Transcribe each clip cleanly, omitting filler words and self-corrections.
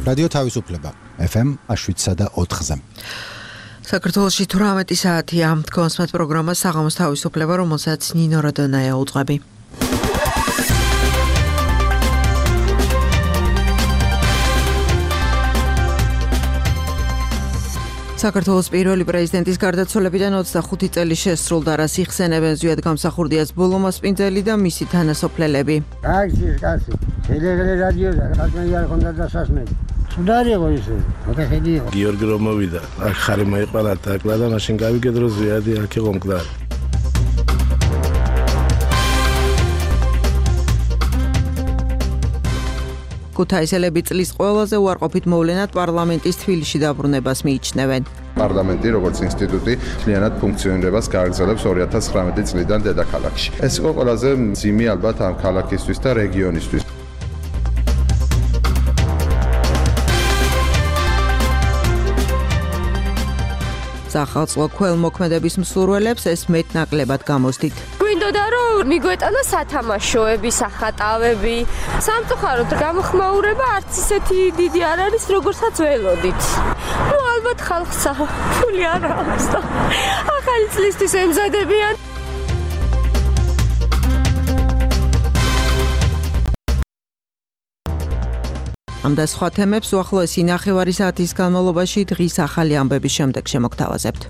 რადიო თავისუფლება FM 7.4-ზე. საქართველოში 18 საათია კონსმეთ პროგრამა საღამოს თავისუფლება, რომელსაც ნინო როდონაია უძღვები. საქართველოს პირველი პრეზიდენტის გარდაცვალებიდან 25 წელი შესრულდა, რას იხსენებენ ზვიად გამსახურდიას ბოლო მასპინძელი და მისი თანასოფლელები. კაცი, რადიოზე რადიო არ ხონდა დასასმელი. სუდარიო ისე, მოხედიო. გიორგი რომ მოვიდა, აქ ხარი მოიყარა თაკლა და მაშინ გავიგედრო ზვიადი აქ იყო მკვდარი. ქუთაისელები წლის ყველაზე უარყოფით მოვლენად პარლამენტის თბილისში დაბრუნებას მიიჩნევენ. პარლამენტი როგორც ინსტიტუტი მთლიანად ფუნქციონირებას გააგრძელებს 2019 წლიდან დედაქალაქში. ეს იყო ყველაზე მძიმე ალბათ ამ ქალაქისთვის და რეგიონისთვის. სახალხო ქველმოქმედების მსურველებს ეს მეტნაკლებად გამოსდით. გვინდოდა რომ მიგვეტანა სათამაშოები, სახატავები, სამწუხაროდ გამოხმაურება არც ისეთი დიდი არ არის, როგორცაც ველოდით. ალბათ ხალხს ფული არ აქვს და ახალი წლისთვის ემზადებიან. ამ და სხვა თემებს უახლოესი ნახევარი საათის განმავლობაში დღის ახალი ამბების შემდეგ შემოგთავაზებთ.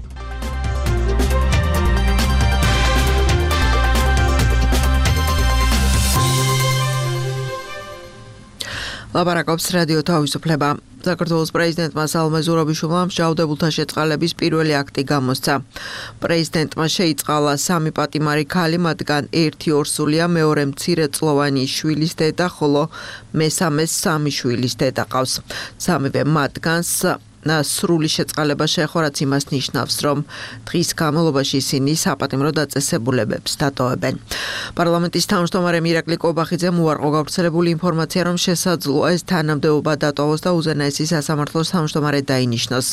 ლაპარაკობს რადიო თავისუფლება. საქართველოს პრეზიდენტმა სალომე ზურაბიშვილმა მსჯავრდებულთა შეწყალების პირველი აქტი გამოსცა. პრეზიდენტმა შეიწყალა 3 პატიმარი ქალი, მათგან 1 ორსულია, მეორე მცირეწლოვანი შვილის დედა, ხოლო მესამეს 3 შვილის დედა ყავს. სამივე მათგანს სრული შეწყალება შეეხო, რაც იმას ნიშნავს, რომ დღის განმავლობაში ისინი საპატიმრო დაწესებულებებს დატოვებენ. პარლამენტის თავმჯდომარე მირაკლი კობახიძემ უარყო გავრცელებული ინფორმაცია, რომ შესაძლოა ეს თანამდებობა დატოვოს და უზენაესი სასამართლოს თავმჯდომარე დაინიშნოს.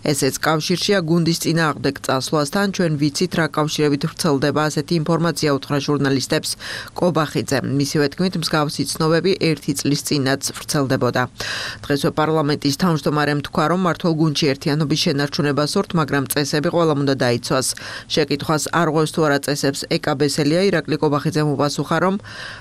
ესეც კავშირშია გუნდის წინააღმდეგ წასვლასთან. ჩვენ ვიცით, რა კავშირებით ვრცელდება ასეთი ინფორმაცია, უთხრა ჟურნალისტებს კობახიძემ. მისივე თქმით, მსგავსი ცნობები 1 წლის წინაც ვრცელდებოდა. დღესვე პარლამენტის თავმჯდომარემ თქვა, რომ მართლ გუნდში ერთიანობის შენარჩუნება სურთ, მაგრამ წესები ყველამ უნდა დაიცვას. შეკითხვას არ ღვევს თუ არა წესებს ეკაბესელია, ირაკლი კობახიძემ უპასუხა, რომ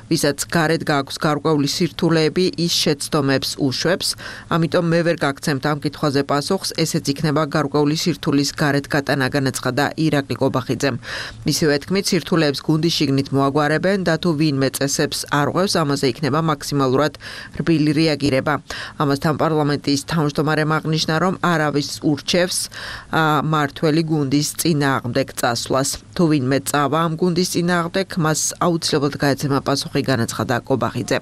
ვისაც გარეთ გააქვს გარკვეული სირთულეები, ის შეცდომებს უშვებს, ამიტომ მე ვერ გაგცემთ ამ კითხვაზე პასუხს, ესეც იქნება გარკვეული სირთულის გარეთ გატანა, განაცხადა ირაკლი კობახიძემ. მისივე თქმით, სირთულეებს გუნდის შიგნით მოაგვარებენ და თუ ვინმე წესებს არ ღვევს, ამაზე იქნება მაქსიმალურად რბილი რეაგირება. ამასთან პარლამენტის თავმჯდომარემ აღნიშნა, რომ არავის ურჩევს მართველი გუნდის წინააღმდეგ წასვლას. თუ ვინმე წავა ამ გუნდის წინააღმდეგ, მას აუცილებლად გაეცემა პასუხი, განაცხადა კობახიძე.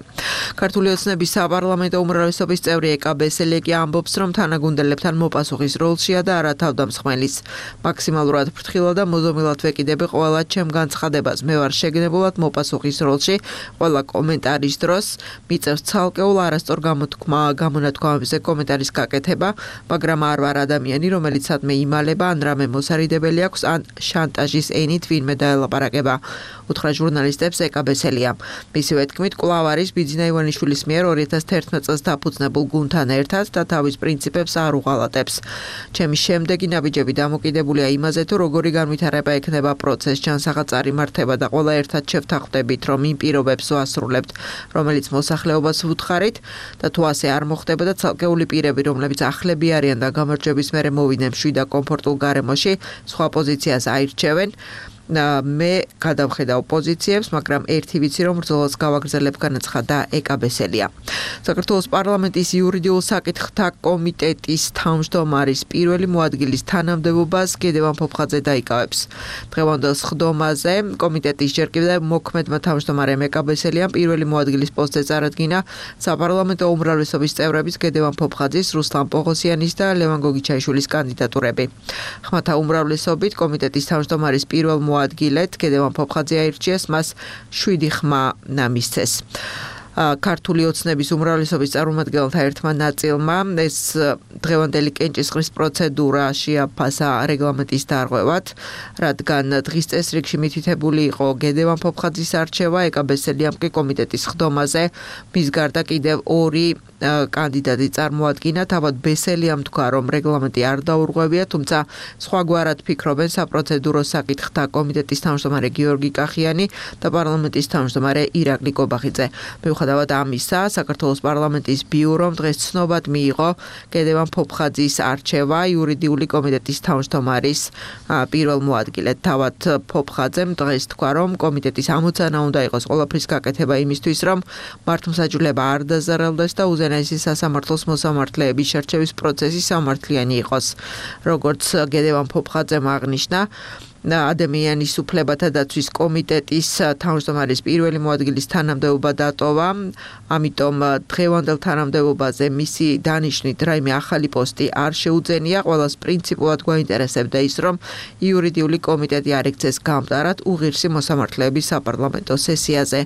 ქართული ოცნების საპარლამენტო უმრავლესობის წევრი ეკაბესელი კი ამბობს, რომ თანაგუნდელებთან მოპასუხის როლშია და არა თავდამსხმელის. მაქსიმალურად ფრთხილად და მოზომილად ვეკიდები ყველა ჩემ განცხადებას. მე ვარ შეგნებულად მოპასუხის როლში. ყველა კომენტარის დროს მიწევს ცალკეულ არასწორ გამონათქვამებზე კომენტარის გაკეთება, მაგრამ არ ვარ ადამიანი, რომელიც სადმე იმალება, ან რამე მოსარიდებელი აქვს, ან შანტაჟის ენით ვინმე დაელაპარაკება, უთხრა ჟურნალისტებს ეკაბესელია. მისივე თქმით, კვლავ არის ბიძინა ივანიშვილის მიერ 2011 წელს დაფუძნებულ გუნდთან ერთად და თავის პრინციპებს არ უღალატებს. ჩემი შემდეგი ნაბიჯები დამოკიდებულია იმაზე, თუ როგორი განვითარება ექნება პროცესს, ჯანსაღად წარიმართება და ყველა ერთად შევთანხმდებით, რომ იმ პირობებს ვასრულებთ, რომელიც მოსახლეობას ვუთხარით და თუ ასე არ მოხდება და ცალკეული პირები, რომლებიც ახლები არიან და გამარჯვების მერე მოვიდნენ მშვიდ და კომფორტულ გარემოში, სხვა პოზიციას აირჩევენ. მე გადავხედავ პოზიციებს, მაგრამ ერთი ვიცი, რომ ბრძოლას გავაგრძელებ, განაცხადა ეკაბესელია. საქართველოს პარლამენტის იურიდიულ საკითხთა კომიტეტის თავმჯდომარის პირველი მოადგილის თანამდებობას გედევან ფოფხაძე დაიკავებს. დღევანდელ სხდომაზე კომიტეტის ჯერ კიდევ მოქმედმა თავმჯდომარემ ეკაბესელიამ პირველი მოადგილის პოსტზე წარადგინა საპარლამენტო უმრავლესობის წევრების გედევან ფოფხაძის, რუსლან პოღოსიანის და ლევან გოგიჩაიშვილის კანდიდატურები. ხმათა უმრავლესობით კომიტეტის თავმჯდომარის პირველ მოადგილედ გედევან ფოფხაძე აირჩიეს, მას 7 ხმა მისცეს. ქართული ოცნების უმრავლესობის წარმომადგენელთა ერთმა ნაწილმა ეს დღევანდელი კენჭისყრის პროცედურა შეაფასა რეგლამენტის დარღვევად, რადგან დღის წესრიგში მითითებული იყო გედევან ფოფხაძის არჩევა, ეკა ბესელიამ კი კომიტეტის ხდომაზე მის გარდა კიდევ 2 კანდიდატი წარმოადგინა. თავად ბესელიამ თქვა, რომ რეგლამენტი არ დაურღვევია, თუმცა სხვაგვარად ფიქრობენ საპროცედურო საკითხთა კომიტეტის თავმჯდომარე გიორგი კახიანი და პარლამენტის თავმჯდომარე ირაკლი კობახიძე. მიუხედავად ამისა, საქართველოს პარლამენტის ბიურომ დღეს ცნობად მიიღო გედევან ფოფხაძის არჩევა იურიდიული კომიტეტის თავმჯდომარის პირველ მოადგილედ. თავად ფოფხაძემ დღეს თქვა, რომ კომიტეტის ამოცანა უნდა იყოს ყველაფრის გაკეთება იმისთვის, რომ მართლმსაჯულება არ დაზარალდეს და უზენაესი სასამართლოს მოსამართლეების შერჩევის პროცესი სამართლიანი იყოს. როგორც გედევან ფოფხაძემ აღნიშნა, ადამიანის უფლებათა დაცვის კომიტეტის თავმჯდომარის პირველი მოადგილის თანამდებობა დატოვა, ამიტომ დღევანდელ თანამდებობაზე მისი დანიშვნით რაიმე ახალი პოსტი არ შეუძენია. ყველას პრინციპულად გვაინტერესებდა ის, რომ იურიდიული კომიტეტი არ ექცეს გამტარად უღირსი მოსამართლეების საპარლამენტო სესიაზე,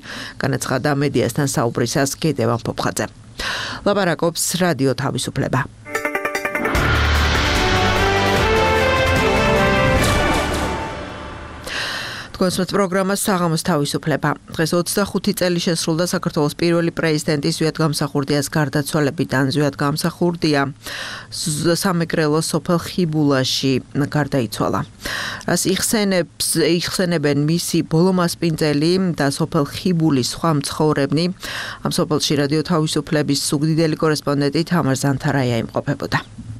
განაცხადა მედიასთან საუბრისას გედევან ფოფხაძე. ლაპარაკობს რადიო თავისუფლება. კონსულტ პროგრამა საღამოს თავისუფლება. დღეს 25 წელი შესრულდა საქართველოს პირველი პრეზიდენტის ზვიად გამსახურდიას გარდაცვალებიდან. ზვიად გამსახურდია სამეგრელოს სოფელ ხიბულაში გარდაიცვალა. რას იხსენებენ მისი ბოლო მასპინძელი და სოფელ ხიბულის სხვა მცხოვრებნი. ამ სოფელში რადიო თავისუფლების სუგდიდელი კორესპონდენტი თამარ ზანთარაია იმყოფებოდა.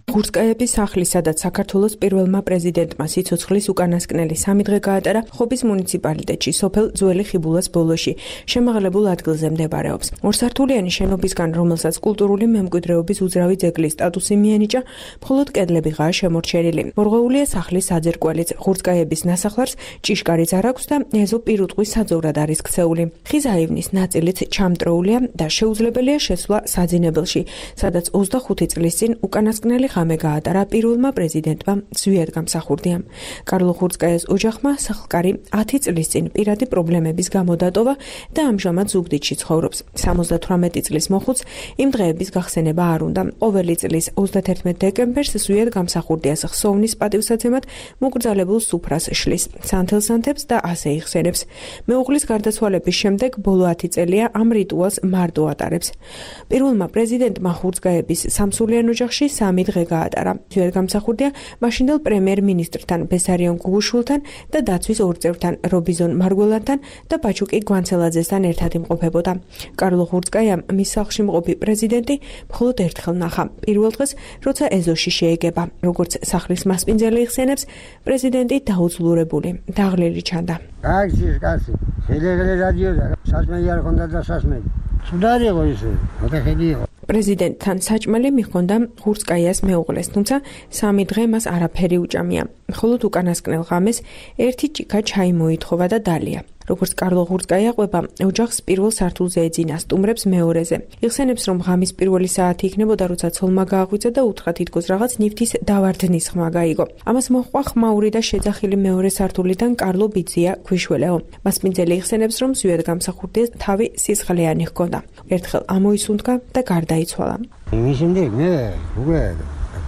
ხურცკაიების სახლი, სადაც საქართველოს პირველმა პრეზიდენტმა სიცოცხლის უკანასკნელი 3 დღე გაატარა, ხობის მუნიციპალიტეტში, სოფელ ძველი ხიბულას ბოლოში, შემაღლებულ ადგილზე მდებარეობს. ორსართულიანი შენობისგან, რომელსაც კულტურული მემკვიდრეობის უძრავი ძეგლის სტატუსი მიენიჭა, მხოლოდ კედლებიღაა შემორჩენილი. მორღვეულია სახლის საძირკველიც, ხურცკაიების ნასახლარს ჭიშკარიც არ აქვს და ეზო პირუტყვის საძოვრად არის ქცეული. ხის აივნის ნაწილიც ჩამტროულია და შეუძლებელია შესვლა საძინებელში, სადაც 25 წლის წინ უკანასკნელი ხამე გაატარა პირველმა პრეზიდენტმა ზვიად გამსახურდიამ. კარლო ხურცკაიას ოჯახმა სახლკარი 10 წლის წინ პირადი პრობლემების გამო დატოვა და ამჟამად ზუგდიდში ცხოვრობს. 78 წლის მოხუც იმ დღეების გახსენება არ უნდა. ყოველი წლის 31 დეკემბერს ზვიად გამსახურდიას ხსოვნის პატივსაცემად მოკრძალებულ სუფრას შლის, სანთელსანთებს და ასე იხსენებს. მეუღლის გარდაცვალების შემდეგ ბოლო 10 წელია ამ რიტუალს მარტო ატარებს. პირველმა პრეზიდენტმა ხურცკაიების სამსულიან ოჯახში 3 დღე გაატარა. ზვიად გამსახურდია მაშინდელ პრემიერ-მინისტრთან ბესარიონ გუგუშვილთან და დაცვის ორ წევრთან რობიზონ მარგველანთან და ბაჩუკი გვანცელაძესთან ერთად იმყოფებოდა. კარლო ხურცკაიამ მის სახლში მყოფი პრეზიდენტი მხოლოდ ერთხელ ნახა. პირველ დღეს, როცა ეზოში შეეგება. როგორც სახლის მასპინძელი იხსენებს, პრეზიდენტი დაუძლურებული, დაღლილი ჩანდა. გაიქცეს კაცი, შეიძლება რადიო და სასმელი არ ქონდა და სასმელი. სუდარი იყო ისე, მოთხედი იყო. პრეზიდენტთან საჭმელი მიჰქონდა ხურცკაიას მეუღლეს, თუმცა 3 დღე მას არაფერი უჭამია. მხოლოდ უკანასკნელ ღამეს ერთი ჭიქა ჩაი მოითხოვა და დალია. როგორც კარლო ხურცკაია ყვება, ოჯახს პირველ სართულზე ეძინა, სტუმრებს მეორეზე. იხსენებს, რომ ღამის პირველი საათი იქნებოდა, როცა ცოლმა გააღვიძა და უთხრა თითქოს რაღაც ნივთის დავარდნის ხმა გაიგო. ამას მოჰყვა ხმაური და შეძახილი მეორე სართულიდან კარლო ბიძია ქვიშველეო. მასპინძელი იხსენებს, რომ ზვიად გამსახურდიას თავი სისხლიანი ჰქონდა. ერთხელ ამოისუნთქა და გარდაიცვალა. იმის შემდეგ მე უკვე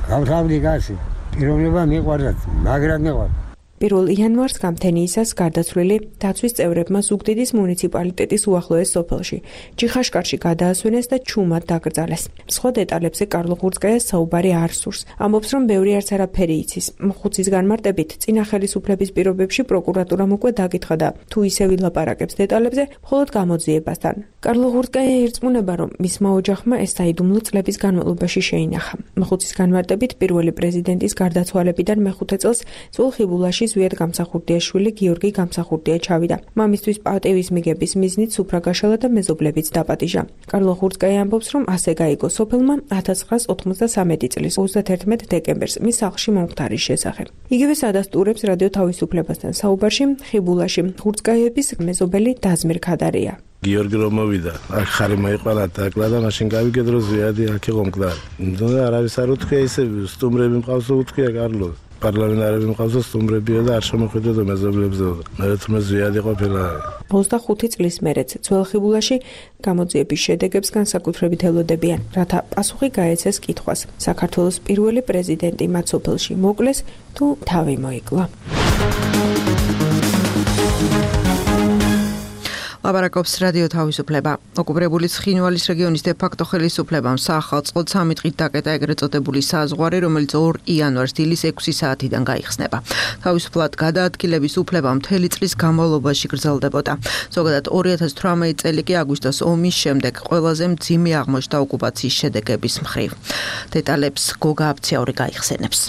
გავთავდი კაცი. პიროვნება მიყვარდა, მაგრამ მეყვარდა. 1 იანვარს გამთენიისას გარდაცვლილი დაცვის წევრებმა ზუგდიდის მუნიციპალიტეტის უახლოეს სოფელში ჯიხაშკარში გადაასვენეს და ჩუმად დაკრძალეს. სხვა დეტალებზე კარლო ხურცკაიას საუბარი არ სურს. ამბობს, რომ ბევრი არც არაფერი იცის. მხუცის განმარტებით, წინა ხელისუფლების პირობებში პროკურატურამ უკვე დაკითხა და თუ ისე ვილაპარაკებს დეტალებზე, მხოლოდ გამოძიებასთან. კარლო ხურცკაია ირწმუნება, რომ მისმა ოჯახმა ეს საიდუმლო წლების განმავლობაში შეინახა. მხუცის განმარტებით, პირველი პრეზიდენტის გარდაცვალებიდან მეხუთე წელს ძველ ხიბულაში ზვიად გამსახურდიას შვილი გიორგი გამსახურდია ჩავიდა. მამისთვის პატევის მიგების მიზნით სუფრა გაშალა და მეზობლებიც დაპატიჟა. კარლო ხურცკაია ამბობს, რომ ასე გაიგო სოფელმა 1993 წლის 31 დეკემბერს მის სახლში მომხდარის შესახებ. იგივე ადასტურებს რადიო თავისუფლებასთან საუბარში ხიბულაში ხურცკაიების მეზობელი დაზმირ ქადარია. გიორგი რომ მოვიდა, აქ ხარი მოიყარა დაკლა და მაშინ გავიგეთ, რომ ზვიადი აქ იყო მკვდარი. და არავის არ უთქვია ისე სტუმრები მყავს უთქვია კარლოს. პარლამენტარები მყავს და სტუმრებია და არ შემოხვიდოდა მეზობლებზეო. მე თუმცა ზიადი ყოფილა. 25 წლის მერეც ძველ ხიბულაში გამოძიების შედეგებს განსაკუთრებით ელოდებიან, რათა პასუხი გაეცეს კითხვას. საქართველოს პირველი პრეზიდენტი მათ სოფელში მოკლეს თუ თავი მოიკლა. ლაპარაკობს რადიო თავისუფლება. ოკუპირებული ცხინვალის რეგიონის დე-ფაქტო ხელისუფლებამ საახალწლოდ 3 დღით დაკეტა ეგრეთ წოდებული საზღვარი, რომელიც 2 იანვარს დილის 6 საათიდან გაიხსნება. თავისუფლად გადაადგილების უფლება მთელი წლის განმავლობაში გრძელდებოდა. ზოგადად 2018 წელი კი აგვისტოს ომის შემდეგ ყველაზე მძიმე აღმოჩნდა ოკუპაციის შედეგების მხრივ. დეტალებს გოგა აბციური გაიხსენებს.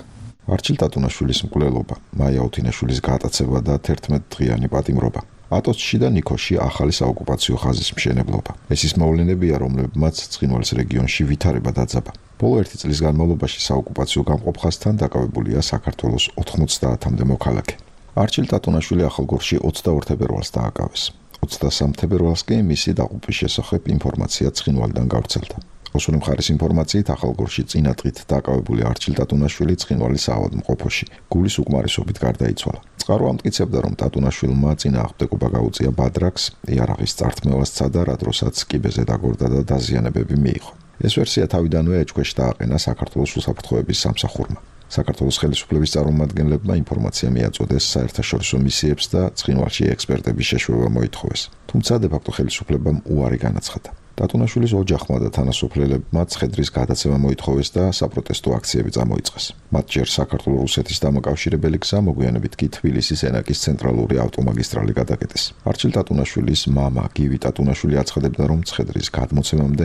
არჩილ ტატუნაშვილის მკვლელობა, მაია ოთინაშვილის გატაცება და 11 დღიანი პატიმრობა. ატოსში და ნიქოში ახალი საოკუპაციო ხაზის მშენებლობა. ეს ის მოვლენებია, რომლებმაც ცხინვალის რეგიონში ვითარება დაძაბა. ბოლო 1 წლის განმავლობაში საოკუპაციო გამყოფ ხაზთან დაკავებულია საქართველოს 90-მდე მოქალაქე. არჩილ ტატუნაშვილი ახალგორში 22 თებერვალს დააკავეს. 23 თებერვალს კი მისი დაყოფის შესახებ ინფორმაცია ცხინვალიდან გავრცელდა. ოსური მხარის ინფორმაციით ახალგორში წინა დღით დაკავებული არჩილ ტატუნაშვილი ცხინვალის საავადმყოფოში გულის უკმარისობით გარდაიცვალა. წყარო ამტკიცებდა, რომ ტატუნაშვილმა წინააღმდეგობა გაუწია ბადრაკს, იარაღის წართმევას სცადა, რა დროსაც კიბეზე დაგორდა და დაზიანებები მიიღო. ეს ვერსია თავიდანვე ეჭქვეშ დააყენა საქართველოს უსაფრთხოების სამსახურმა. საქართველოს ხელისუფლების წარმომადგენლებმა ინფორმაცია მიაწოდეს საერთაშორისო მისიებს და ცხინვალში ექსპერტების შეშვება მოითხოვეს. თუმცა დე-ფაქტო ხელისუფლებამ უარი განაცხადა. ტატუნაშვილის ოჯახმა და თანასოფლელებმა ცხედრის გადაცემა მოითხოვეს და საპროტესტო აქციები წამოიწყეს. მათ ჯერ საქართველოს-რუსეთის დამაკავშირებელი გზა, მოგვიანებით კი თბილისის ენაკის ცენტრალური ავტომაგისტრალი გადაკეტეს. არჩილ ტატუნაშვილის მამა გივი ტატუნაშვილი აცხადებდა, რომ ცხედრის გადმოცემამდე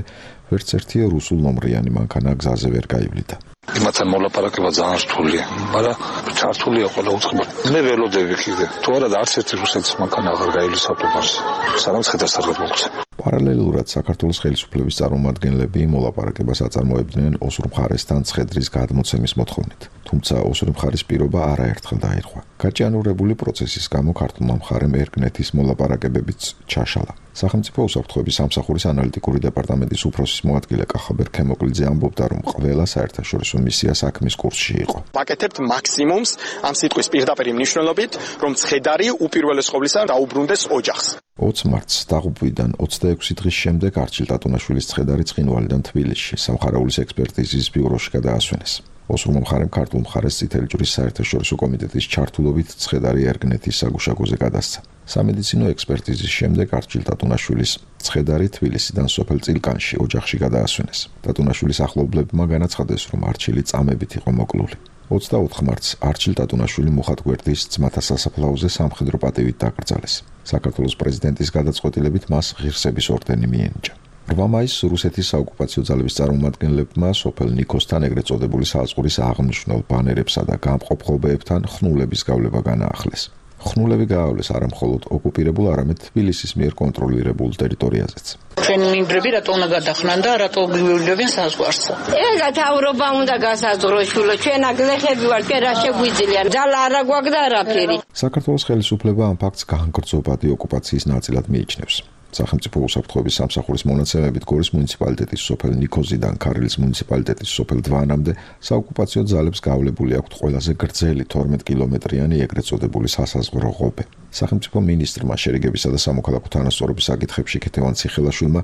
ვერც ერთი რუსულ ნომრიანი მანქანა გზაზე ვერ გაივლიდა. იმათთან მოლაპარაკება ძალიან რთულია, მაგრამ ჩართულია ყველა უწყება. მე ველოდები კიდე. თუ არა და არც ერთი რუსეთის მანქანა აღარ გაივლის ავტობანზე. სანამ ცხედარს არ გამოგცემ. პარალელურად საქართველოს ხელისუფლების წარმომადგენლები მოლაპარაკებას აწარმოებდნენ ოსურ მხარესთან ცხედრის გადმოცემის მოთხოვნით. თუმცა ოსური მხარის პირობა არაერთხელ დაირღვა. გაჭიანურებული პროცესის გამო ქართულმა მხარემ ერგნეთის მოლაპარაკებებიც ჩაშალა. სახელმწიფო უსაფრთხოების სამსახურის ანალიტიკური დეპარტამენტის უფროსის მოადგილე კახაბერ ქემოკლიძე ამბობდა, რომ ყველა საერთაშორისო მისია საქმის კურსში იყო. ვაკეთებთ მაქსიმუმს ამ სიტყვის პირდაპირ მნიშვნელობით, რომ ცხედარი უპირველეს ყოვლისა დაუბრუნდეს ოჯახს. 20 მარტს დაღუპვიდან 26 დღის შემდეგ არჩილ ტატუნაშვილის ცხედარი ცხინვალიდან თბილისში სამხარაულის ექსპერტიზის ბიუროში გადაასვენეს. ოსურმა მხარემ ქართულ მხარეს წითელი ჯვრის საერთაშორისო კომიტეტის ჩართულობით ცხედარი ერგნეთის საგუშაგოზე გადასცა. სამედიცინო ექსპერტიზის შემდეგ არჩილ ტატუნაშვილის ცხედარი თბილისიდან სოფელ წილკანში ოჯახში გადაასვენეს. ტატუნაშვილის ახლობლებმა განაცხადეს, რომ არჩილი წამებით იყო მოკლული. 24 მარტს არჩილ ტატუნაშვილი მუხად გვერდის ძმათა სასაფლაოზე სამხედრო პატივით დაკრძალეს. საქართველოს პრეზიდენტის გადაწყვეტილებით მას ღირსების ორდენი მიენიჭა. 8 მაისს რუსეთის საოკუპაციო ძალების წარმომადგენლებმა სოფელ ნიქოსთან ეგრეთ წოდებული საზღვრის აღნიშნულ ბანერებსა და გამყოფ ღობეებთან ხნულების გავლება განაახლეს. ხნულები გაავლეს არა მხოლოდ ოკუპირებულ, არამედ თბილისის მიერ კონტროლირებულ ტერიტორიაზეც. ჩვენ მინდვრები რატო უნდა გადახრან და რატო გვივლევენ საზღვარს? ეგა თავრობა უნდა გასაზღვრო შულო, ჩვენ აგლეხები ვართ, კი რა შეგვიძლია, ძალა არა გვაქვს და არაფერი. საქართველოს ხელისუფლება ამ ფაქტს განგრძობადი ოკუპაციის ნაწილად მიიჩნევს. სახელმწიფო უსაფრთხოების სამსახურის მონაცემებით გორის მუნიციპალიტეტის სოფელ ნიქოზიდან ქარილის მუნიციპალიტეტის სოფელ დვანამდე საოკუპაციო ძალებს გავლებული აქვთ ყველაზე გრძელი 12 კილომეტრიანი ეგრეთ წოდებული სასაზღვრო ღობე. სახელმწიფო მინისტრმა შერიგებისა და სამოქალაქო თანასწორობის საკითხებში ქეთევან ციხელაშვილმა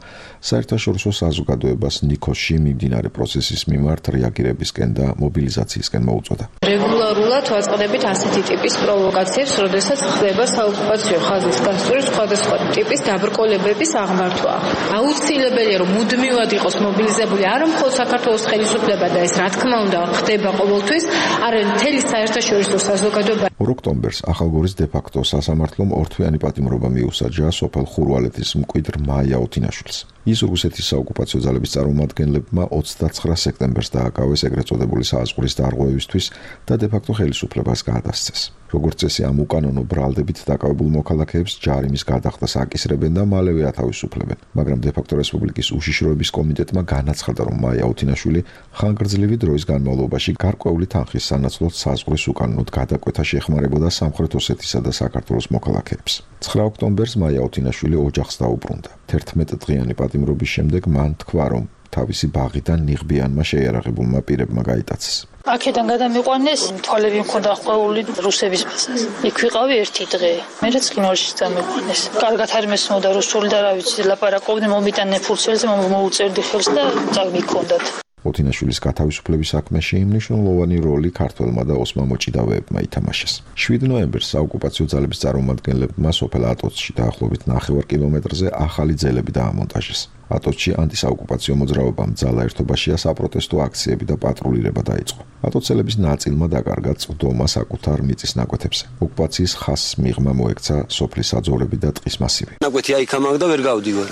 საერთაშორისო საზოგადოებას ნიქოზში მიმდინარე პროცესის მიმართ რეაგირებისკენ და მობილიზაციისკენ მოუწოდა. რეგულარულად ვაწყდებით ასეთი ტიპის პროვოკაციებს, როდესაც ხდება საოკუპაციო ხაზის გასწვრის სხვადასხვა ტიპის დაბრკოლებების აღმართვა. აუცილებელია, რომ მუდმივად იყოს მობილიზებული არა მხოლოდ საქართველოს ხელისუფლება და ეს რა თქმა უნდა ხდება ყოველთვის, არამედ მთელი საერთაშორისო საზოგადოება. 2 ოქტომბერს ახალგორის დე-ფაქტო სასამართლომ ორთვიანი პატიმრობა მიუსაჯა სოფელ ხურვალეთის მკვიდრ მაია ოთინაშვილს. ის რუსეთის საოკუპაციო ძალების წარმომადგენლებმა 29 სექტემბერს დააკავეს ეგრეთ წოდებული საზღვრის დარღვევისთვის და დე-ფაქტო ხელისუფლებას გადასცეს. როგორც წესი, ამ უკანონო ბრალდებით დაკავებულ მოქალაქეებს ჯარიმის გადახდას აკისრებენ და მალევე ათავისუფლებენ. მაგრამ დე-ფაქტო რესპუბლიკის უშიშროების კომიტეტმა განაცხადა, რომ მაია ოთინაშვილი ხანგრძლივი დროის განმავლობაში გარკვეული თანხის სანაცვლოდ საზღვრის უკანონოდ გადაკვეთა შეეხმარებოდა სამხრეთ ოსეთისა და საქართველოს მოქალაქეებს. 9 ოქტომბერს მაია ოთინაშვილი ოჯახს დაუბრუნდა. 11 დღიანი პატიმრობის შემდეგ მან თქვა, რომ თავისი ბაღიდან ნიღბიანმა შეიარაღებულმა პირებმა გაიტაცეს. აქედან გადამიყვანეს, თვალები მქონდა ხვეული რუსების ფასას. იქ ვიყავი ერთი დღე. მერე ცხინვალში დამიყვანეს. კარგად არ მესმოდა რუსული და რა ვიცი, ლაპარაკობდნენ, მომიტანენ ფურცელზე, მოუწერდი ხელს და წამიქონდათ. ოთინაშვილის გათავისუფლების საქმეში მნიშვნელოვანი როლი ქართველმა და ოსმა მოჭიდავეებმა ითამაშეს. 7 ნოემბერს საოკუპაციო ძალების წარმომადგენლებმა სოფელ ატოცში დაახლოებით 9 კილომეტრზე ახალი ძელები დაამონტაჟეს. ატოცში ანტისაოკუპაციო მოძრაობამ ძალა ერთობაშია საპროტესტო აქციები და პატრულირება დაიწყო. ატოცელების ნაწილმა დაკარგა წვდომა საკუთარ მიწის ნაკვეთებზე. ოკუპაციის ხაზს მიღმა მოექცა სოფლის საძოვრები და ტყის მასივი. ნაკვეთი აიქამაგ და ვერ გავდივარ.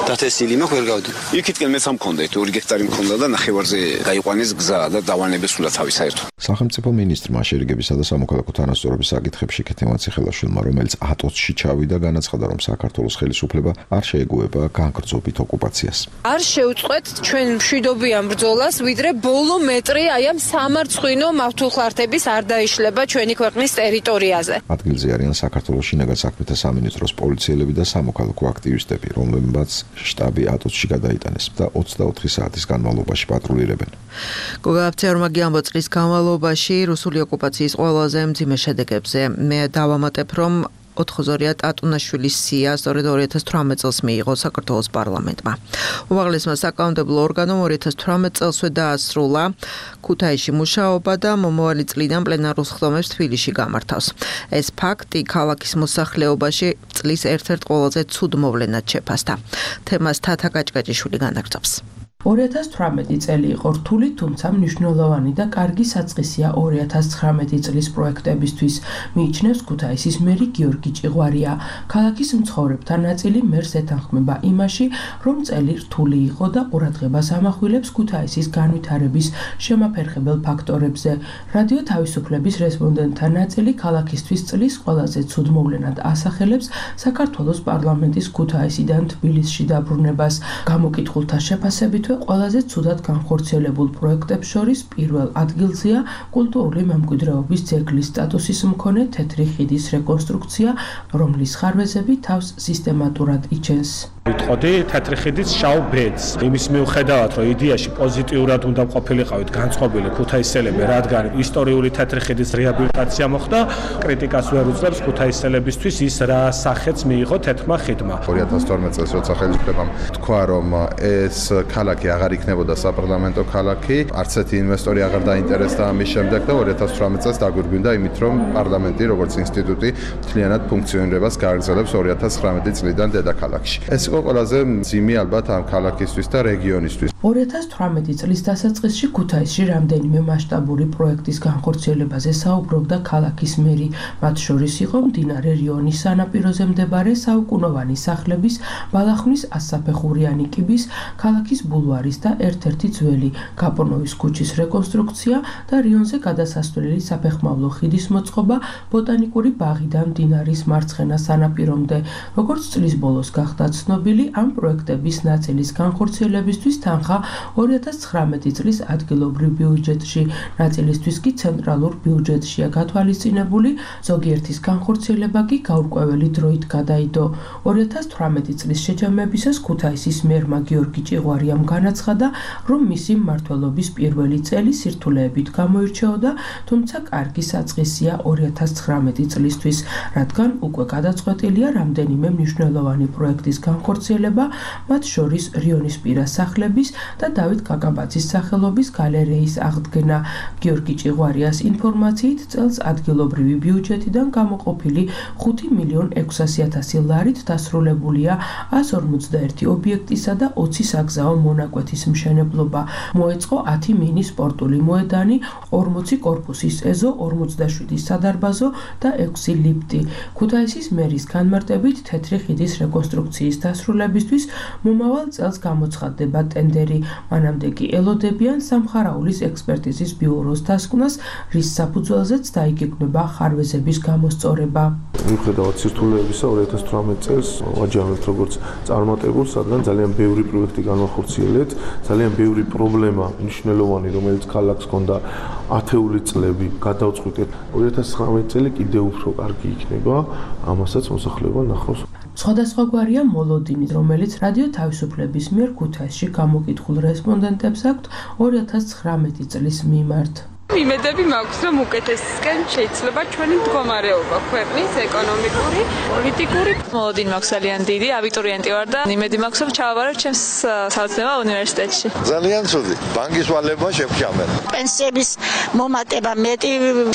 დათესილი მაქვს ვერ გავდივარ. იქითკენ მეც ამქონდა 2 გექტარი მქონდა და ნახევარზე გაიყვანეს გზა და დავალნებეს სულა თავი საერთოდ. სახელმწიფო მინისტრმა შერიგებისა და სამოქალაქო თანასწორობის საკითხებში ქეთევან ციხელაშვილმა, რომელიც ატოცში ჩავიდა, განაცხადა, რომ საქართველოს ხელისუფლება არ შეეგუება განგრძობით ოკუპაციას. არ შეუწყვეთ ჩვენ მშვიდობიან ბრძოლას, ვიდრე ბოლო მეტრი აი ამ სამარცხვინო მავთულხლართების არ დაიშლება ჩვენი ქვეყნის ტერიტორიაზე. ადგილზე არიან საქართველოს შინაგან საქმეთა სამინისტროს პოლიციელები და სამოქალაქო აქტივისტები, რომლებმაც შტაბი ატოცში გადაიტანეს და 24 საათის განმავლობაში პატრულირებენ. გოგაბცერმაგი ამბო წლის განმავლობაში რუსული ოკუპაციის ყველაზე მძიმე შედეგებზე მე დავამატებ, რომ ოთხოზორია ტატუნაშვილის სია სწორედ 2018 წელს მიიღო საქართველოს პარლამენტმა. უმაღლესმა საკანონმდებლო ორგანომ 2018 წელსვე დაასრულა ქუთაისში მუშაობა და მომავალი წლიდან პლენარულ სხდომებს თბილისში გამართავს. ეს ფაქტი ქალაქის მოსახლეობაში წლის ერთ-ერთ ყველაზე ცუდ მოვლენად შეფასდა. თემას თათა კაჭკაჭიშვილი განაგრძობს. 2018 წელი იყო რთული, თუმცა მნიშვნელოვანი და კარგი საწყისია 2019 წლის პროექტებისთვის, მიიჩნევს ქუთაისის მერი გიორგი ჭიღვარია. ქალაქის მცხოვრებთა ნაწილი მერს ეთანხმება იმაში, რომ წელი რთული იყო და ყურადღებას ამახვილებს ქუთაისის განვითარების შემაფერხებელ ფაქტორებზე. რადიო თავისუფლების რესპონდენტთა ნაწილი ქალაქისთვის წლის ყველაზე ცუდ მოვლენად ასახელებს საქართველოს პარლამენტის ქუთაისიდან თბილისში დაბრუნებას. გამოკითხულთა შეფასებით ყველაზე ცუდად განხორციელებულ პროექტებს შორის პირველ ადგილზეა კულტურული მემკვიდრეობის ძეგლის სტატუსის მქონე თეთრი ხიდის რეკონსტრუქცია, რომლის ხარვეზები თავს სისტემატურად იჩენს. ვიტყოდი თეთრი ხიდის შავ ბედს. იმის მიუხედავად, რომ იდეაში პოზიტიურად უნდა ყოფილიყავით განწყობილი ქუთაისელები, რადგან ისტორიული თეთრი ხიდის რეაბილიტაცია მოხდა, კრიტიკას ვერ უძლებს ქუთაისელებისთვის ის რა სახეც მიიღო თეთრმა ხიდმა. 2012 წელს როცა ხელისუფლებამ თქვა, რომ ეს ქალაქი აღარ იქნებოდა საპარლამენტო ქალაქი, არც ერთი ინვესტორი აღარ დაინტერესდა ამის შემდეგ და 2018 წელს დაგვირგვინდა იმით, რომ პარლამენტი როგორც ინსტიტუტი მთლიანად ფუნქციონირებას გააგრძელებს 2019 წლიდან დედაქალაქში. ეს იყო ყველაზე მძიმე ალბათ ამ ქალაქისთვის და რეგიონისთვის. 2018 წლის დასაწყისში ქუთაისში რამდენიმე მასშტაბური პროექტის განხორციელებაზე საუბრობდა ქალაქის მერი, მათ შორის იყო მდინარე რიონის სანაპიროზე მდებარე საუკუნოვანი სახლების, ბალახნის 100-საფეხურიანი კიბის, ქალაქის ბულვარის და ერთ-ერთი ძველი გაპონოვის ქუჩის რეკონსტრუქცია და რიონზე გადასასვლელი საფეხმავლო ხიდის მოწყობა ბოტანიკური ბაღიდან მდინარის მარცხენა სანაპირომდე. როგორც წლის ბოლოს გახდა ცნობილი, ამ პროექტების ნაწილის განხორციელებისთვის თანხა 2019 წლის ადგილობრივ ბიუჯეტში, ნაწილისთვის კი ცენტრალურ ბიუჯეტშია გათვალისწინებული, ზოგიერთის განხორციელება კი გაურკვეველი დროით გადაიდო. 2018 წლის შეჯამებისას ქუთაისის მერმა გიორგი ჭიღვარიამ განაცხადა, რომ მისი მმართველობის პირველი წელი სირთულეებით გამოირჩეოდა, თუმცა კარგი საწყისია 2019 წლისთვის, რადგან უკვე გადაწყვეტილია რამდენიმე მნიშვნელოვანი პროექტის განხორციელება, მათ შორის რიონის პირას სახლების და დავით კაკაბაძის სახელობის გალერეის აღდგენა. გიორგი ჭიღვარიას ინფორმაციით წელს ადგილობრივი ბიუჯეტიდან გამოყოფილი 5.600.000 ლარით დასრულებულია 151 ობიექტისა და 20 საგზაო მონაკვეთის მშენებლობა. მოეწყო 10 მინი სპორტული მოედანი, 40 კორპუსის ეზო, 47 სადარბაზო და 6 ლიფტი. ქუთაისის მერის განმარტებით თეთრი ხიდის რეკონსტრუქციის დასრულებისთვის მომავალ წელს გამოცხადდება ტენდერი. მანამდე კი ელოდებიან სამხარაულის ექსპერტიზის ბიუროს დასკვნას, რის საფუძველზეც დაიგეგმება ხარვეზების გამოსწორება. მიუხედავად სირთულეებისა 2018 წელს ვაჯამებთ როგორც წარმატებულს, რადგან ძალიან ბევრი პროექტი განახორციელეთ, ძალიან ბევრი პრობლემა მნიშვნელოვანი, რომელიც ქალაქს ჰქონდა ათეული წლები, გადავწყვიტეთ. 2019 წელი კიდევ უფრო კარგი იქნება, ამასაც მოსახლეობა ნახავს. სხვადასხვაგვარია მოლოდინი, რომელიც რადიო თავისუფლების მიერ ქუთაისში გამოკითხულ რესპონდენტებს აქვთ 2019 წლის მიმართ. იმედები მაქვს, რომ უკეთესისკენ შეიძლება ჩვენი მდგომარეობა ქვეყნის ეკონომიკური, პოლიტიკური. მოლოდინი მაქვს ძალიან დიდი, აბიტურიენტი ვარ და იმედი მაქვს, რომ ჩავაბარებ ჩემს საოცნება უნივერსიტეტში. ძალიან ცუდი. ბანკის ვალება შევჭამენ. პენსიების მომატება მეტი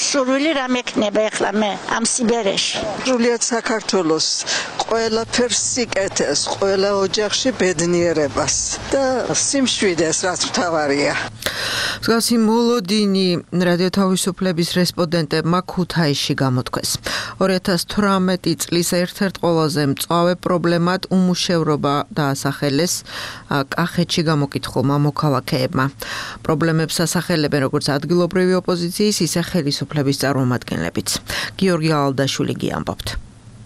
სურვილი რა მექნება ახლა მე ამ სიბერეში. სრულიად საქართველოს ყველაფერს სიკეთეს, ყველა ოჯახში ბედნიერებას და სიმშვიდეს, რაც მთავარია. მსგავსი მოლოდინი რადიო თავისუფლების რესპონდენტებმა ქუთაისში გამოთქვეს. 2018 წლის ერთ-ერთ ყველაზე მწვავე პრობლემად უმუშევრობა დაასახელეს კახეთში გამოკითხულმა მოქალაქეებმა. პრობლემებს ასახელებენ როგორც ადგილობრივი ოპოზიციის, ისე ხელისუფლების წარმომადგენლებიც. გიორგი ალდაშვილი გიამბობთ.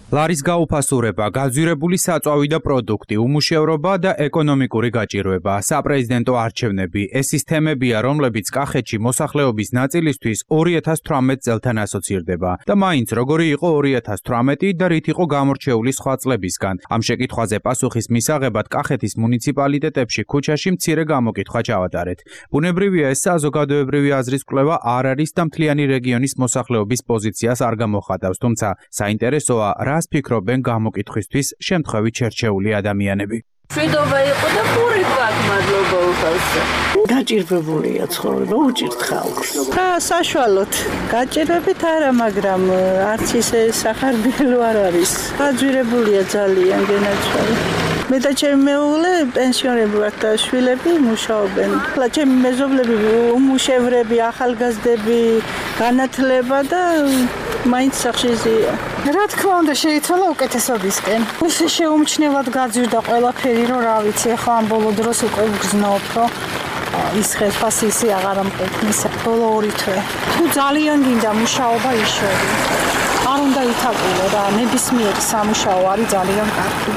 ლარის გაუფასურება, გაძვირებული საწვავი და პროდუქტი, უმუშევრობა და ეკონომიკური გაჭირვება, საპრეზიდენტო არჩევნები, ეს ის თემებია, რომლებიც კახეთში მოსახლეობის ნაწილისთვის 2018 წელთან ასოცირდება. და მაინც როგორი იყო 2018 და რით იყო გამორჩეული სხვა წლებისგან. ამ შეკითხვაზე პასუხის მისაღებად კახეთის მუნიციპალიტეტებში ქუჩაში მცირე გამოკითხვა ჩავატარეთ. ბუნებრივია, ეს საზოგადოებრივი აზრის კვლევა არ არის და მთლიანი რეგიონის მოსახლეობის პოზიციას არ გამოხატავს, თუმცა საინტერესოა რას ფიქრობენ გამოკითხვისთვის შემთხვევით შერჩეული ადამიანები. მშვიდობა იყო და პური გვაქვს, მადლობა უხალხო. გაჭირვებულია ცხოვრება, უჭირთ ხალხს. და საშუალოდ გაჭირვებით არა, მაგრამ არც ისე სახარბიელო არ არის. გაძვირებულია ძალიან გენაჩვარი. მე და ჩემი მეუღლე პენსიონერები ვართ და შვილები მუშაობენ. ახლა ჩემი მეზობლები უმუშევრები, ახალგაზრდები, განათლება და მაინც სახში ზია. რა თქმა უნდა შეიცვალა უკეთესობისკენ. ისე შეუმჩნევად გაძვირდა ყველაფერი, რომ რა ვიცი, ახლა ამ ბოლო დროს უკვე ვგრძნობ, რომ ის ხელფასისი აღარ ამყოფნის ბოლო 2 თვე. თუ ძალიან გინდა მუშაობა იშვები. არ უნდა ითაყულო რა, ნებისმიერი სამუშაო არის ძალიან კარგი.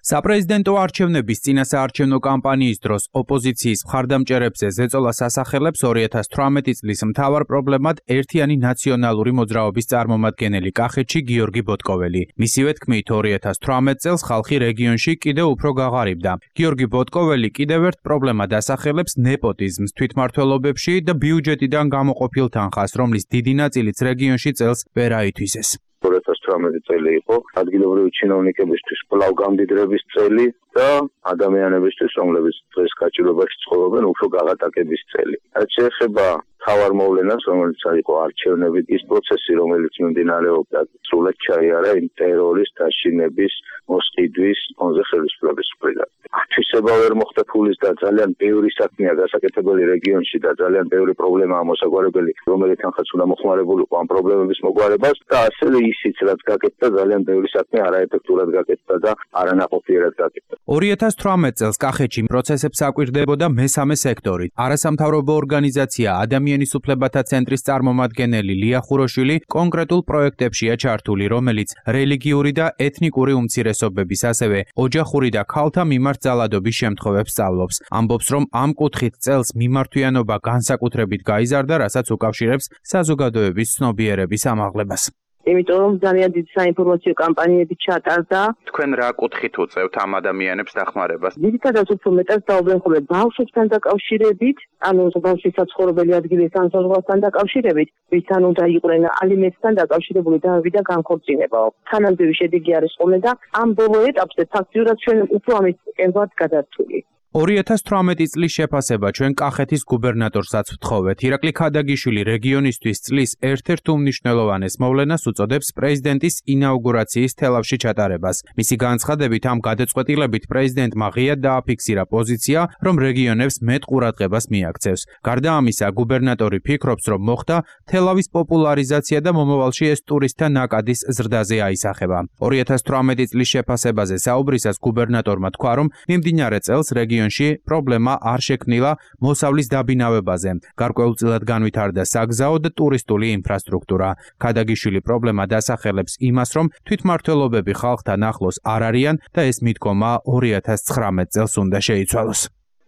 საპრეზიდენტო არჩევნების წინასაარჩევნო კამპანიის დროს ოპოზიციის მხარდამჭერებზე ზეწოლას ასახელებს 2018 წლის მთავარ პრობლემად ერთიანი ნაციონალური მოძრაობის წარმომადგენელი კახეთში გიორგი ბოტკოველი. მისივე თქმით 2018 წელს ხალხი რეგიონში კიდევ უფრო გაღარიბდა. გიორგი ბოტკოველი კიდევ ერთ პრობლემად ასახელებს ნეპოტიზმს თვითმმართველობებში და ბიუჯეტიდან გამოყოფილ თანხას, რომლის დიდი ნაწილიც რეგიონში წელს ვერ აითვისეს. 2018 წელი იყო ადგილობრივი ჩინოვნიკებისთვის კვლავ გამდიდრების წელი და ადამიანებისთვის, რომლებიც დღეს გაჭირვებაში ცხოვრობენ, უფრო გაღატაკების წელი. რაც შეეხება მთავარ მოვლენას, რომელიც იყო არჩევნები, ის პროცესი, რომელიც მიმდინარეობდა, სრულად ჩაიარა იმ ტერორის, დაშინების, მოსყიდვის ფონზე ხელისუფლების მხრიდან. ათვისება ვერ მოხდა ფულის და ძალიან ბევრი საქმეა გასაკეთებელი რეგიონში და ძალიან ბევრი პრობლემაა მოსაგვარებელი, რომელიც თანხაც უნდა მოხმარებულიყო ამ პრობლემების მოგვარებას და ასევე ისიც, რაც გაკეთდა, ძალიან ბევრი საქმე არაეფექტურად გაკეთდა და არანაყოფიერად გაკეთდა. 2018 წელს კახეთში პროცესებს აკვირდებოდა მესამე სექტორი. არასამთავრობო ორგანიზაცია ადამიანის უფლებათა ცენტრის წარმომადგენელი ლია ხუროშვილი კონკრეტულ პროექტებშია ჩართული, რომელიც რელიგიური და ეთნიკური უმცირესობების, ასევე ოჯახური და ქალთა მიმართ ძალადობის შემთხვევებს სწავლობს. ამბობს, რომ ამ კუთხით წელს მიმართვიანობა განსაკუთრებით გაიზარდა, რასაც უკავშირებს საზოგადოების ცნობიერების ამაღლებას. იმიტომ რომ ძალიან დიდი საინფორმაციო კამპანიები ჩატარდა. თქვენ რა კუთხით უწევთ ამ ადამიანებს დახმარებას? ძირითადად უფრო მეტად დაუბრუნდენ ხოლმე ბავშვებთან დაკავშირებით, ანუ ბავშვის საცხოვრებელი ადგილის განსაზღვრასთან დაკავშირებით, ვისთან უნდა იყვნენ ალიმენტთან დაკავშირებული დავები და განქორწინებაო. თანამდები შედეგი არის ხოლმე და ამ ბოლო ეტაპზე ფაქტიურად ჩვენ უფრო ამის კენვართ გადართული. 2018 წლის შეფასება ჩვენ კახეთის გუბერნატორსაც ვთხოვეთ. ირაკლი ქადაგიშვილი რეგიონისთვის წლის ერთ-ერთ უმნიშვნელოვანეს მოვლენას უწოდებს პრეზიდენტის ინაუგურაციის თელავში ჩატარებას. მისი განცხადებით ამ გადაწყვეტილებით პრეზიდენტმა ღიად დააფიქსირა პოზიცია, რომ რეგიონებს მეტ ყურადღებას მიაქცევს. გარდა ამისა, გუბერნატორი ფიქრობს, რომ მოხდა თელავის პოპულარიზაცია და მომავალში ეს ტურისტთა ნაკადის ზრდაზე აისახება. 2018 წლის შეფასებაზე საუბრისას გუბერნატორმა თქვა, რომ მიმდინარე წელს რეგიონში პრობლემა არ შექმნილა მოსავლის დაბინავებაზე. გარკვეულწილად განვითარდა საგზაო და ტურისტული ინფრასტრუქტურა. ქადაგიშვილი პრობლემა დასახელებს იმას, რომ თვითმმართველობები ხალხთან ახლოს არ არიან და ეს მიდგომა 2019 წელს უნდა შეიცვალოს.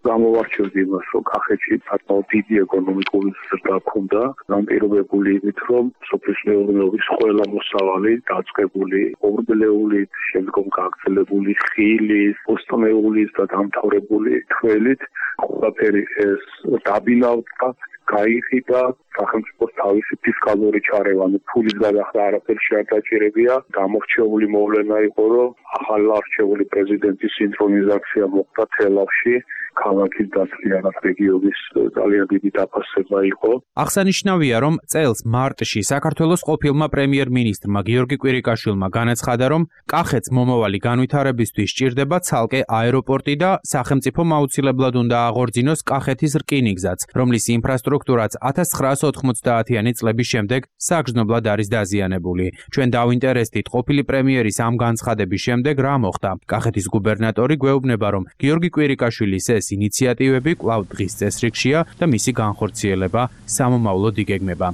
გამოვარჩევდი იმას, რომ კახეთში საკმაოდ დიდი ეკონომიკური ზრდა ჰქონდა, განპირობებული იმით, რომ სოფლის მეურნეობის ყველა მოსავალი დაწყებული, ორბელეულით, შემდგომ გაგრძელებული ხილის, პოსტმეულის და დამთავრებული თველით, ყველაფერი ეს დაბინავდა, გაიხიდა, სახელმწიფოს თავისი ფისკალური ჩარევანი, ფულის გადახდა არაფერში არ დაჭირებია, გამორჩეული მოვლენა იყო, რომ ახალ არჩეული პრეზიდენტის სინქრონიზაცია მოხდა თელავში, ქალაქის დასწრიანად რეგიონის ძალიან დიდი დაფასება იყო. აღსანიშნავია, რომ წელს მარტში საქართველოს ყოფილმა პრემიერ-მინისტრმა გიორგი კვირიკაშვილმა განაცხადა, რომ კახეთს მომავალი განვითარებისთვის სჭირდება ცალკე აეროპორტი და სახელმწიფომ აუცილებლად უნდა აღორძინოს კახეთის რკინიგზაც, რომლის ინფრასტრუქტურაც 1990-იანი წლების შემდეგ საგრძნობლად არის დაზიანებული. ჩვენ დავინტერესდით ყოფილი პრემიერის ამ განცხადების შემდეგ რა მოხდა. კახეთის გუბერნატორი გვეუბნება, რომ გიორგი კვირიკაშვილის ეს ინიციატივები კვლავ დღის წესრიგშია და მისი განხორციელება სამომავლოდ იგეგმება.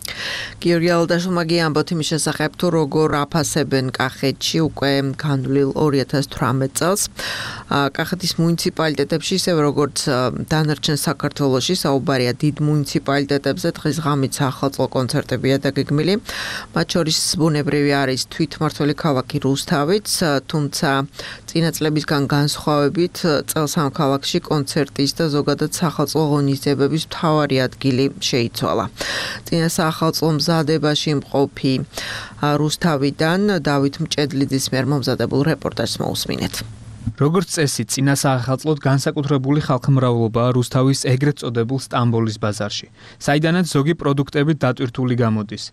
გიორგი ალდაშვილმა გიამბოთ იმის შესახებ, თუ როგორ აფასებენ კახეთში უკვე განვლილ 2018 წელს. კახეთის მუნიციპალიტეტებში, ისევ როგორც დანარჩენ საქართველოში, საუბარია დიდ მუნიციპალიტეტებზე, დღის ღამით საახალწლო კონცერტებია დაგეგმილი. მათ შორის ბუნებრივი არის თვითმმართველი ქალაქი რუსთავიც, თუმცა წინა წლებისგან განსხვავებით წელს ამ ქალაქში კონცერტის და ზოგადად საახალწლო ღონისძიებების მთავარი ადგილი შეიცვალა. წინა საახალწლო მზადებაში მყოფი რუსთავიდან დავით მჭედლიძის მიერ მომზადებულ რეპორტაჟს მოусმინეთ. როგორც წესი, წინა საახალწლოდ განსაკუთრებული ხალხმრავლობაა რუსთავის ეგრეთ წოდებულ სტამბოლის ბაზარში, საიდანაც ზოგი პროდუქტები დატვირთული გამოდის.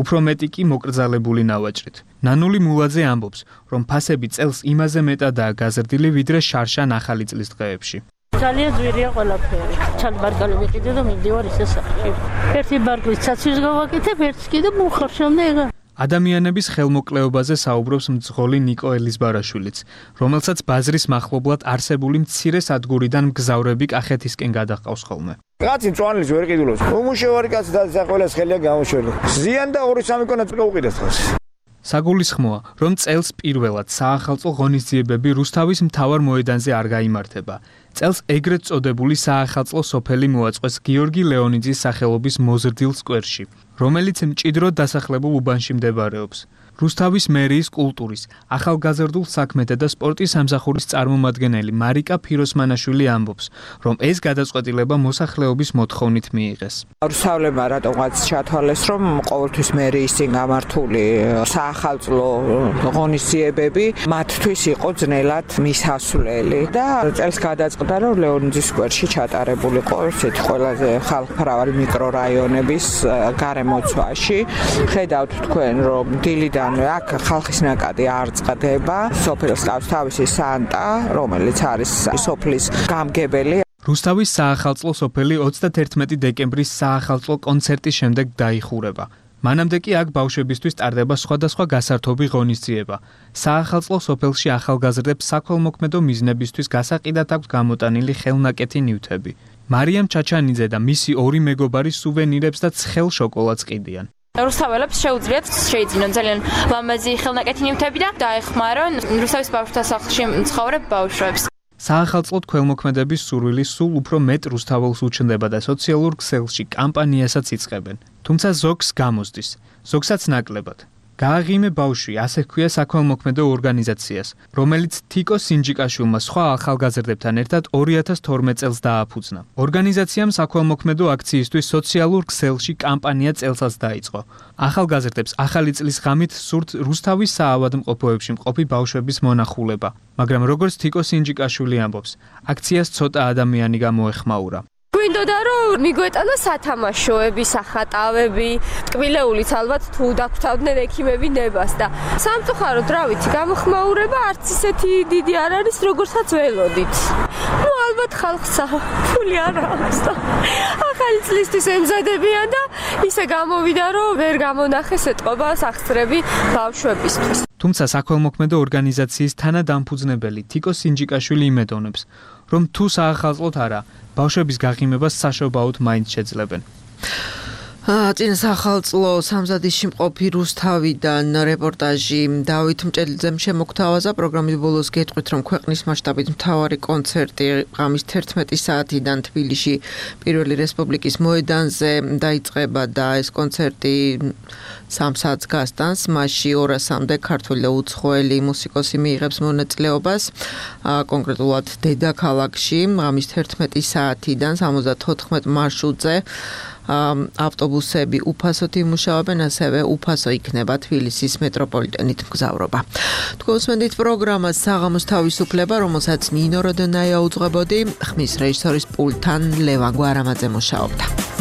უფრო მეტი კი მოკრძალებული ნავაჭრით. ნანული მულაძე ამბობს, რომ ფასები წელს იმაზე მეტადაა გაზრდილი, ვიდრე შარშან ახალი წლის დღეებში. ძალიან ძვირია ყველაფერი. ჩალი ბარგალი ვიყიდე და მივდივარ ისე სახში. ერთი ბარგლის ცაცვის გავაკეთებ, ერთს კიდე მუხარშამდე ეგა. ადამიანების ხელმოკლეობაზე საუბრობს მძღოლი ნიკო ელიზბარაშვილიც, რომელსაც ბაზრის მახლობლად არსებული მცირე სადგურიდან მგზავრები კახეთისკენ გადაჰყავს ხოლმე. კაცი მწვანლის ვერ ყიდულობს. უმუშევარი კაცი და ყველას ხელია გამოშველი. ზიან და 2-3 კონა წაუყიდეს ხოლმე. საგულისხმოა, რომ წელს პირველად საახალწლო ღონისძიებები რუსთავის მთავარ მოედანზე არ გაიმართება. წელს ეგრეთ წოდებული საახალწლო სოფელი მოაწყვეს გიორგი ლეონიძის სახელობის მოზრდილ სკვერში, რომელიც მჭიდროდ დასახლებულ უბანში მდებარეობს. რუსთავის მერიის კულტურის, ახალგაზრდულ საქმეთა და სპორტის სამსახურის წარმომადგენელი მარიკა ფიროსმანაშვილი ამბობს, რომ ეს გადაწყვეტილება მოსახლეობის მოთხოვნით მიიღეს. რუსთავლებმა რატომღაც ჩათვალეს, რომ ყოველთვის მერიის წინ გამართული საახალწლო ღონისძიებები მათთვის იყო ძნელად მისასვლელი და წელს გადაწყდა, რომ ლეონიძის სკვერში ჩატარებულიყო ესეთი ყველაზე ხალხმრავალი მიკრორაიონების გარემოცვაში. ხედავთ თქვენ, რომ დილიდან აქ ხალხის ნაკადი არ წყდება, სოფელს ყავს თავისი სანტა, რომელიც არის სოფლის გამგებელი. რუსთავის საახალწლო სოფელი 31 დეკემბრის საახალწლო კონცერტის შემდეგ დაიხურება. მანამდე კი აქ ბავშვებისთვის ტარდება სხვადასხვა გასართობი ღონისძიება. საახალწლო სოფელში ახალგაზრდებს საქველმოქმედო მიზნებისთვის გასაყიდად აქვს გამოტანილი ხელნაკეთი ნივთები. მარიამ ჩაჩანიძე და მისი ორი მეგობარი სუვენირებს და ცხელ შოკოლადს ყიდიან. რუსთაველებს შეუძლიათ შეიძინონ ძალიან ლამაზი ხელნაკეთი ნივთები და დაეხმარონ რუსთავის ბავშვთა სახლში მცხოვრებ ბავშვებს. საახალწლოდ ქველმოქმედების სურვილი სულ უფრო მეტ რუსთაველს უჩნდება და სოციალურ ქსელში კამპანიასაც იწყებენ. თუმცა ზოგს გამოსდის, ზოგსაც ნაკლებად. გააღიმე ბავშვი, ასე ჰქვია საქველმოქმედო ორგანიზაციას, რომელიც თიკო სინჯიკაშვილმა სხვა ახალგაზრდებთან ერთად 2012 წელს დააფუძნა. ორგანიზაციამ საქველმოქმედო აქციისთვის სოციალურ ქსელში კამპანია წელსაც დაიწყო. ახალგაზრდებს ახალი წლის ღამით სურთ რუსთავის საავადმყოფოებში მყოფი ბავშვების მონახულება, მაგრამ როგორც თიკო სინჯიკაშვილი ამბობს, აქციას ცოტა ადამიანი გამოეხმაურა. გვინდოდა რომ მიგვეტანა სათამაშოები, სახატავები, ტკბილეულიც ალბათ თუ დაგვთავდნენ ექიმები ნებას და სამწუხაროდ რა ვიცი, გამოხმაურება არც ისეთი დიდი არ არის, როგორცაც ველოდით. ნუ ალბათ ხალხსა ფული არ აქვს და ახალი წლისთვის ემზადებიან და ისე გამოვიდა რომ ვერ გამონახეს ეტყობა სახსრები ბავშვებისთვის. თუმცა საქველმოქმედო ორგანიზაციის თანადამფუძნებელი თიკო სინჯიკაშვილი იმედოვნებს, რომ თუ საახალწლოდ არა, ბავშვების გაღიმებას საშობაოდ მაინც შეძლებენ. წინა სახალწლო სამზადის შემყოფი რუსთავიდან რეპორტაჟი დავით მჭედლიძემ შემოგთავაზა. პროგრამის ბოლოს გეტყვით, რომ ქვეყნის მასშტაბით მთავარი კონცერტი ღამის 11 საათიდან თბილისში პირველი რესპუბლიკის მოედანზე დაიწყება და ეს კონცერტი 3 საათს გასტანს. მასში 200-მდე ქართველი და უცხოელი მუსიკოსი მიიღებს მონაწილეობას. კონკრეტულად დედაქალაქში ღამის 11 საათიდან 74 მარშრუტზე ავტობუსები უფასოდ იმუშავებენ, ასევე უფასო იქნება თბილისის მეტროპოლიტენით მგზავრობა. თქვენ უსმენთ პროგრამას საღამოს თავისუფლება, რომელსაც ნინო როდონაია უძღვებოდი, ხმის რეჟისორის პულტთან ლევან გვარამაძე მუშაობდა.